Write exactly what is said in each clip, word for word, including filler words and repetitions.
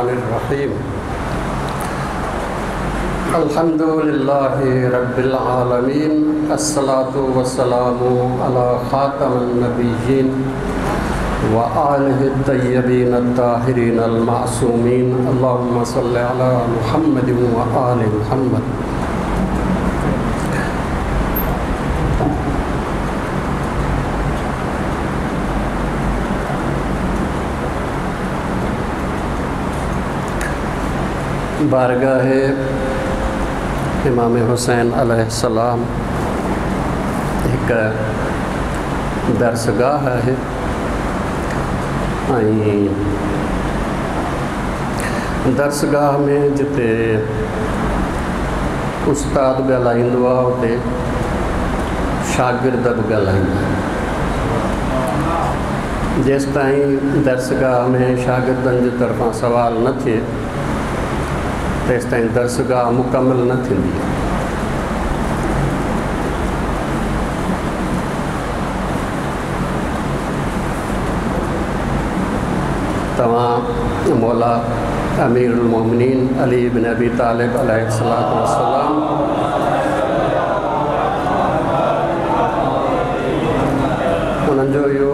الرحمن الرحيم। الحمد لله رب العالمين، الصلاة والسلام على خاتم النبيين وآله الطيبين الطاهرين المعصومين. اللهم صل على محمد وآل محمد. बारगाह इमाम हुसैन अलैहिस्सलाम हिकु दर्सगाह आहे ऐं दर्सगाह में जिते उस्ताद ॻाल्हाईंदो आहे उते शागिर्द बि ॻाल्हाईंदा आहिनि। जेसि ताईं दर्सगाह में शागिर्दनि जे तरफ़ां सवाल न थिए तेसि ताईं दर्सगाह मुकमल न थींदी। तव्हां मौला अमीरुल मोमिनीन अली बिन अबी तालिब अलैहिस्सलातु वस्सलाम उन्हनि जो इहो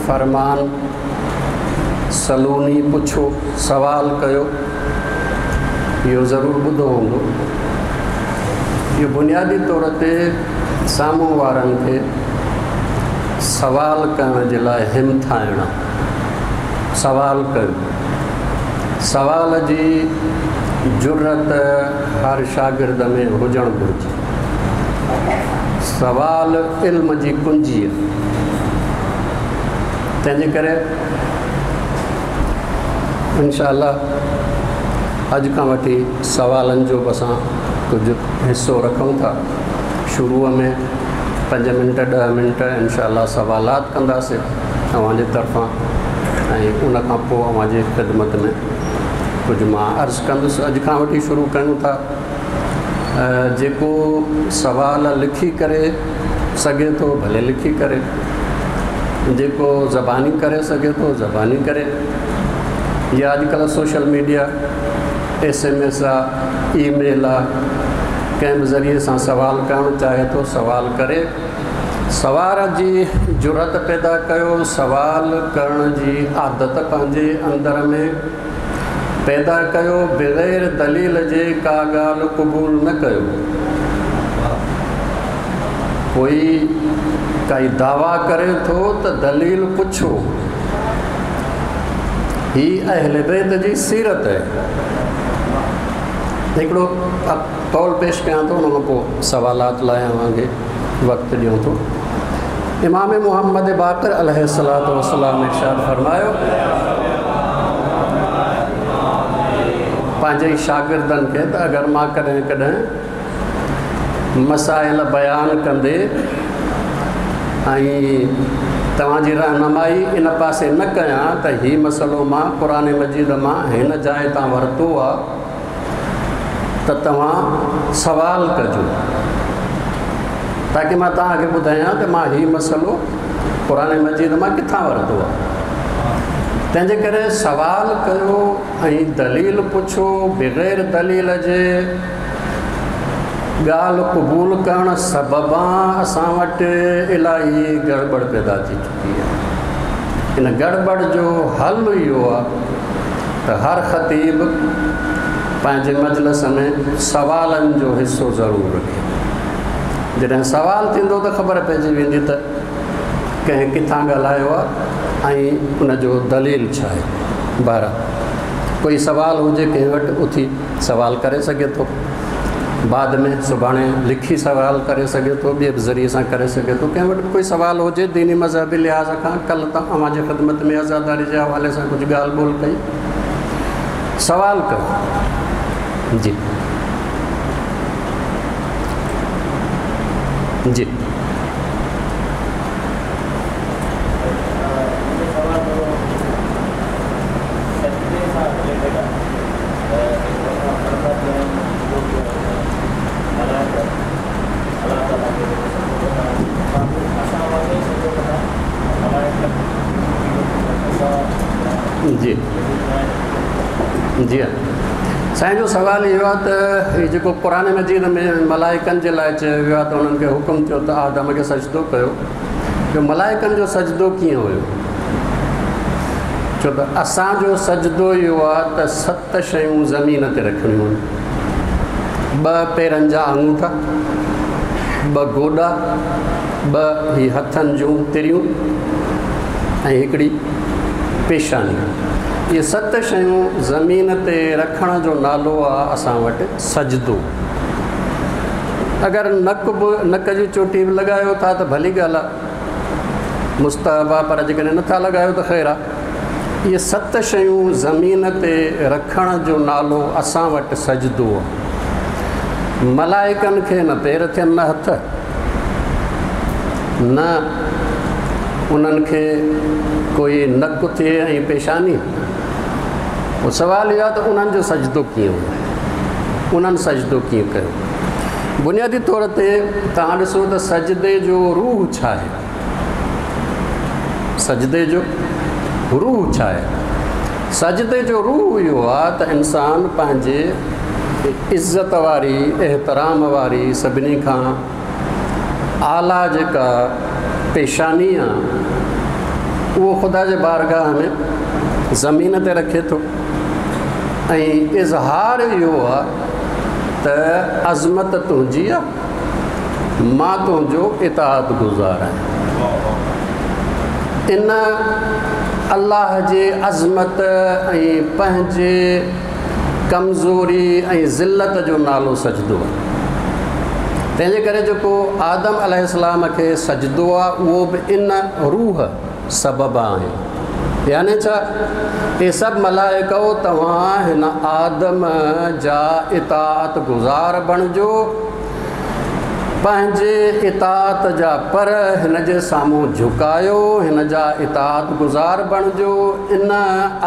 फरमान सलूनी पुछो सवाल कयो, इहो ज़रूरु ॿुधो हूंदो। इहो बुनियादी तौर ते साम्हूं वारनि खे सवाल करण जे लाइ हिमथाइणु आहे। सवाल कयो, सवाल जी जुरत हर शागिर्द में हुजणु घुरिजे। सवाल इल्म जी कुंजी आहे, तंहिंजे करे इनशा अॼु खां वठी सवालनि जो बि असां कुझु हिसो रखूं था। शुरूअ में पंज मिंट ॾह मिंट इनशा सवालात कंदासीं तव्हांजे तरफ़ां ऐं उन खां पोइ अव्हांजी ख़िदमत में कुझु मां अर्ज़ कंदुसि। अॼु खां वठी शुरू कयूं था। जेको सवाल लिखी करे सघे थो भले लिखी करे, जेको ज़बानी करे सघे थो ज़बानी करे, या अॼुकल्ह social media S M S आहे, ईमेल आहे, कंहिं बि ज़रिए सां सवाल करणु चाहे थो सवाल करे। सवाल जी जुरत पैदा कयो, सवाल करण जी आदत पंहिंजे अंदर में पैदा कयो, बग़ैर दलील जे का ॻाल्हि क़बूल न कयो। कोई काई दावा करे थो त दलील पुछो। ही अहले बैत जी सीरत आहे। हिकिड़ो कौल पेश कयां थो, उन खां पोइ सवालात लाइ अव्हांखे वक़्तु ॾियूं थो। इमाम मोहम्मद बाक़िर अलैहिस्सलातु वस्सलाम इरशाद फरमायो पंहिंजे शागिर्दनि खे त अगरि मां कॾहिं कॾहिं मसाइल बयान कंदे ऐं तव्हांजी रहनुमाई इन पासे न कयां त हीउ मसइलो मां क़ुर मजीद मां हिन जाइ तां वरितो आहे त तव्हां सवाल कजो, ताकि मां तव्हांखे ॿुधायां त मां हीउ मसइलो क़ुर मजीद मां किथां वरितो आहे। तंहिंजे करे सवाल कयो ऐं दलील पुछो। बग़ैर दलील जे ॻाल्हि क़बूल करण सबबां असां वटि इलाही गड़बड़ पैदा थी चुकी आहे। इन गड़बड़ जो हल इहो आहे त हर ख़तीब पंहिंजे मजलिस में सवालनि जो हिसो ज़रूरु रखे। जॾहिं सवाल थींदो त ख़बर पइजी वेंदी त कंहिं किथां ॻाल्हायो आहे ऐं उनजो दलील छा आहे। बहरहाल कोई सवाल हुजे कंहिं वटि उथी सवाल करे सघे थो, बाद में सुभाणे लिखी सवाल करे सघे थो, ॿिए बि ज़रिए सां करे सघे थो। कंहिं वटि कोई सवाल हुजे दीनी मज़हबी लिहाज़ खां, कल्ह त अव्हांजी ख़िदमत में आज़ादारी जे हवाले सां कुझु ॻाल्हि ॿोल कई, सवाल कयो। जी जी जी जी हाँ साईं जो सवाल इहो आहे त हीउ जेको क़ुर मजीद में मलाइकनि जे लाइ चयो वियो आहे त उन्हनि खे हुकुम थियो त आदम खे सजदो कयो, जो मलाइकनि जो सजदो कीअं हुयो? छो त असांजो सजदो इहो आहे त सत शयूं ज़मीन ते रखणियूं आहिनि। ॿ पेरनि जा आङूठा, ॿ गोॾा, ॿ ही हथनि जूं तिरियूं ऐं हिकिड़ी पेशानी। इहे सत शयूं ज़मीन ते रखण जो नालो आहे असां वटि सजदो। अगरि नक बि नक जी चोटी बि लॻायो था त भली ॻाल्हि आहे, मुस्तहब आहे, पर जेकॾहिं नथा लॻायो त ख़ैर आहे। इहे सत शयूं ज़मीन ते रखण जो नालो असां वटि सजदो आहे। मलाइकनि खे न पेर थियनि न हथ, न उन्हनि खे कोई नक थिए ऐं पेशानी। पोइ सवाल इहो आहे त उन्हनि जो सजदो कीअं हुयो, उन्हनि सजदो कीअं कयो? बुनियादी तौर ते तव्हां ॾिसो त सजदे जो रूह छा आहे, सजदे जो रूह छा आहे? सजदे जो रूह इहो आहे त इंसान पंहिंजे इज़त वारी, एहतराम वारी, सभिनी खां आला जेका पेशानी आहे उहो ख़ुदा जे बारगाह में ज़मीन ते रखे थो ऐं इज़हार इहो आहे त अज़मत तुंहिंजी आहे, मां तुंहिंजो इताअत गुज़ार आहियां। इन अल्लाह जे अज़मत ऐं पंहिंजे कमज़ोरी ऐं ज़िलत जो नालो सजदो आहे। तंहिंजे करे जेको आदम अलैहिस्सलाम खे सजदो आहे उहो बि इन रूह सबब आहे। यानी छा इहे सभु मलाइकओ तव्हां हिन आदम जा इताअत गुज़ार बणिजो, पंहिंजे इताअत जा पर हिन जे साम्हूं झुकायो, हिन जा इताअत गुज़ार बणिजो। इन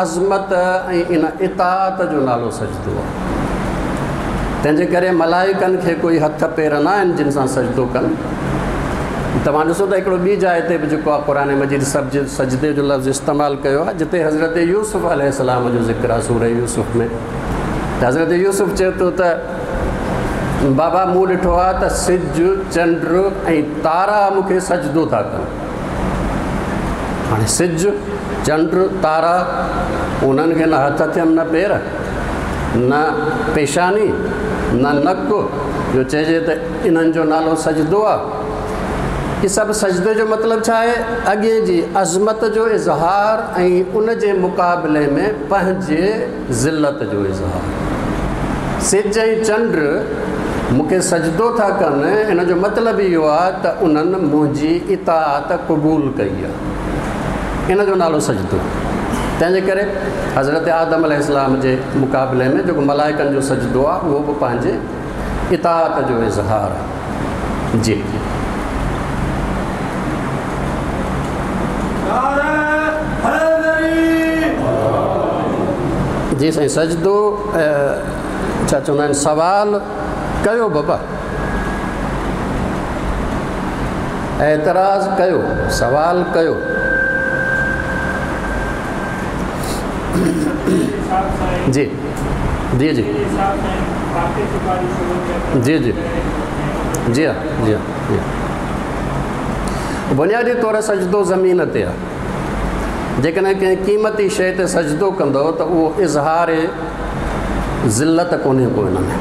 अज़मत ऐं इन इताअत जो नालो सजदो आहे। तंहिंजे करे मलाइकनि खे कोई हथ पेर न आहिनि जिन सां सजदो कनि। तव्हां ॾिसो त हिकिड़ो ॿी जाइ ते बि जेको आहे क़ुर मजीद सब्ज सजदे जो लफ़्ज़ इस्तेमालु कयो आहे, जिते हज़रत यूसुफ़ अलैहिस्सलाम जो ज़िक्र आहे सूरह यूसुफ़ में। त हज़रत यूसुफ़ चए थो त बाबा मूं ॾिठो आहे त सिज, चंड ऐं तारा मूंखे सजदो था कनि। हाणे सिज, चंड, तारा उन्हनि खे न हथ थियनि, न पेर, न पेशानी, न नक, जो चइजे त इन्हनि जो नालो सजदो आहे। इहे सभु सजदे जो मतिलबु छा आहे? अॻे जी अज़मत जो इज़हार ऐं उन जे मुक़ाबले में पंहिंजे ज़िलत जो इज़हार। सिज ऐं चंड मूंखे सजदो था कनि, इन जो मतिलबु इहो आहे त उन्हनि मुंहिंजी इताअत क़बूल कई आहे, इन जो नालो सजदो। तंहिंजे करे हज़रत आदम अलैहिस्सलाम जे मुक़ाबले में जेको मलाइकनि जो सजदो आहे उहो बि पंहिंजे इताअत जो इज़हार आहे। जी जी साईं, सजदो छा चवंदा आहिनि? सवाल कयो बाबा, एतिराज़ कयो, सवाल कयो। जी जी जी जी जी जी हाँ जी हाँ जी हाँ। बुनियादी तौर सजदो ज़मीन ते आहे। जेकॾहिं कंहिं क़ीमती शइ ते सजदो कंदव त उहो इज़हार ज़िलत कोन्हे को हिन में।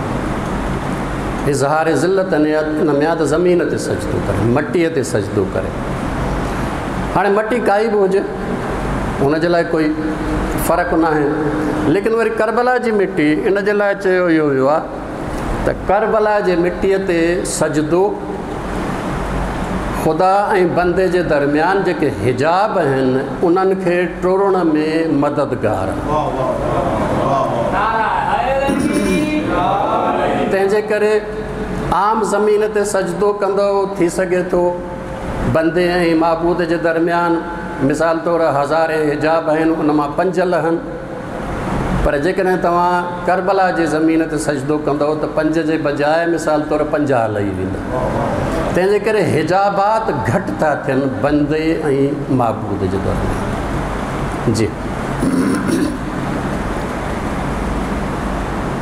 इज़हार ज़िलत इन में आहे त ज़मीन ते सजदो करे, मटीअ ते सजदो करे। हाणे मटी काई बि हुजे हुनजे लाइ कोई फ़र्क़ु न आहे, लेकिन वरी करबला जी मिटी इन जे लाइ चयो इहो वियो आहे त करबला जे मिटीअ ते सजदो ख़ुदा ऐं बंदे जे दरमियान जेके हिजाब आहिनि उन्हनि खे टोड़ण में मददगार। तंहिंजे करे आम ज़मीन ते सजदो कंदव थी सघे थो बंदे ऐं माबूद जे दरमियान मिसाल तौर हज़ारे हिजाब आहिनि उन मां पंज लहनि, पर जेकॾहिं तव्हां करबला जे ज़मीन ते सजदो कंदव त पंज जे बजाए मिसाल तौर पंजाह लही वेंदा। तंहिंजे करे हिजाबात घटि था थियनि बंदे ऐं माबूद जे दरमियान। जी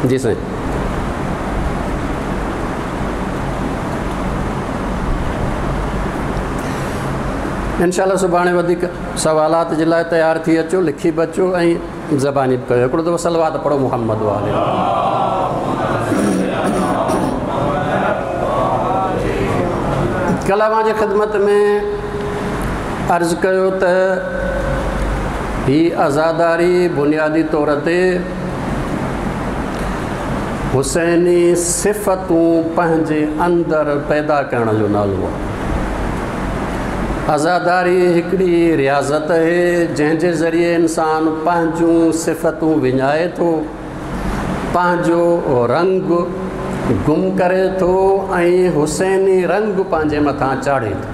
जी साईं। इंशाअल्लाह सुभाणे वधीक सवालात जे लाइ तयारु थी अचो, लिखी बि अचो ऐं ज़बानी बि कयो। हिकिड़ो दफ़ो सलवात पढ़ो मोहम्मद वाले। कल्ह अव्हांजी ख़िदमत में अर्ज़ु कयो त हीअ आज़ादारी बुनियादी तौर ते हुसैनी सिफ़तूं पंहिंजे अंदरि पैदा करण जो नालो आहे। आज़ादारी हिकिड़ी रियाज़त आहे जंहिंजे ज़रिए इंसान पंहिंजूं सिफ़तूं विञाए थो, पंहिंजो रंग गुम करे थो ऐं हुसैनी रंग पंहिंजे मथां चाढ़े थो।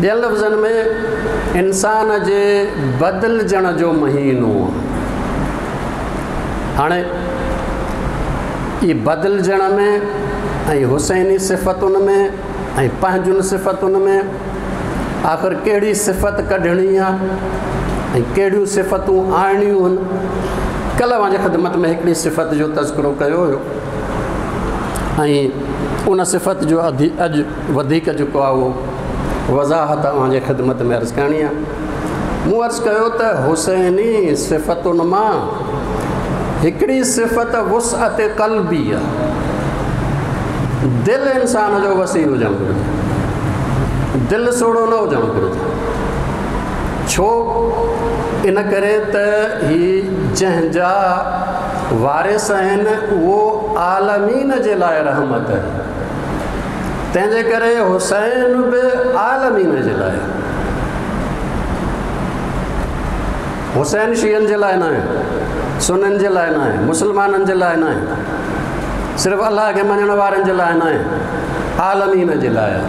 ॿियनि लफ़्ज़नि में इंसान जे बदिलजण जो महीनो आहे। हाणे इहे बदिलजण में ऐं हुसैनी सिफ़तुनि में ऐं पंहिंजुनि सिफ़तुनि में आख़िर कहिड़ी सिफ़त कढणी आहे ऐं कहिड़ियूं सिफ़तूं आणियूं आहिनि। कल्ह अव्हांजी ख़िदमत में हिकिड़ी सिफ़त जो तज़किरो कयो हुयो ऐं उन सिफ़त जो अॼु वधीक जेको आहे उहो वज़ाहत अव्हांजी ख़िदमत में अर्ज़ु करणी आहे। मूं अर्ज़ु कयो त हुसैनी सिफ़तुनि मां हिकिड़ी सिफ़त वुसअत क़ल्बी आहे। दिलि इंसान जो वसी हुजणु घुरिजे, दिलि सोड़ो न हुजणु घुरिजे। छो? इन करे त हीउ जंहिंजा वारिस आहिनि उहो आलमीन जे लाइ रहमत आहे, तंहिंजे करे हुसैन बि आलमीन जे लाइ। हुसैन शियनि जे लाइ न आहे, सुननि जे लाइ न आहे, मुसलमाननि जे लाइ न आहे, सिर्फ़ु अलाह खे मञण वारनि जे लाइ न आहे, आलमीन जे लाइ आहे।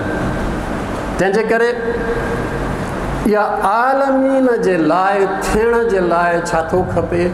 तंहिंजे करे इहा आलमीन जे लाइ थियण जे लाइ छा थो खपे?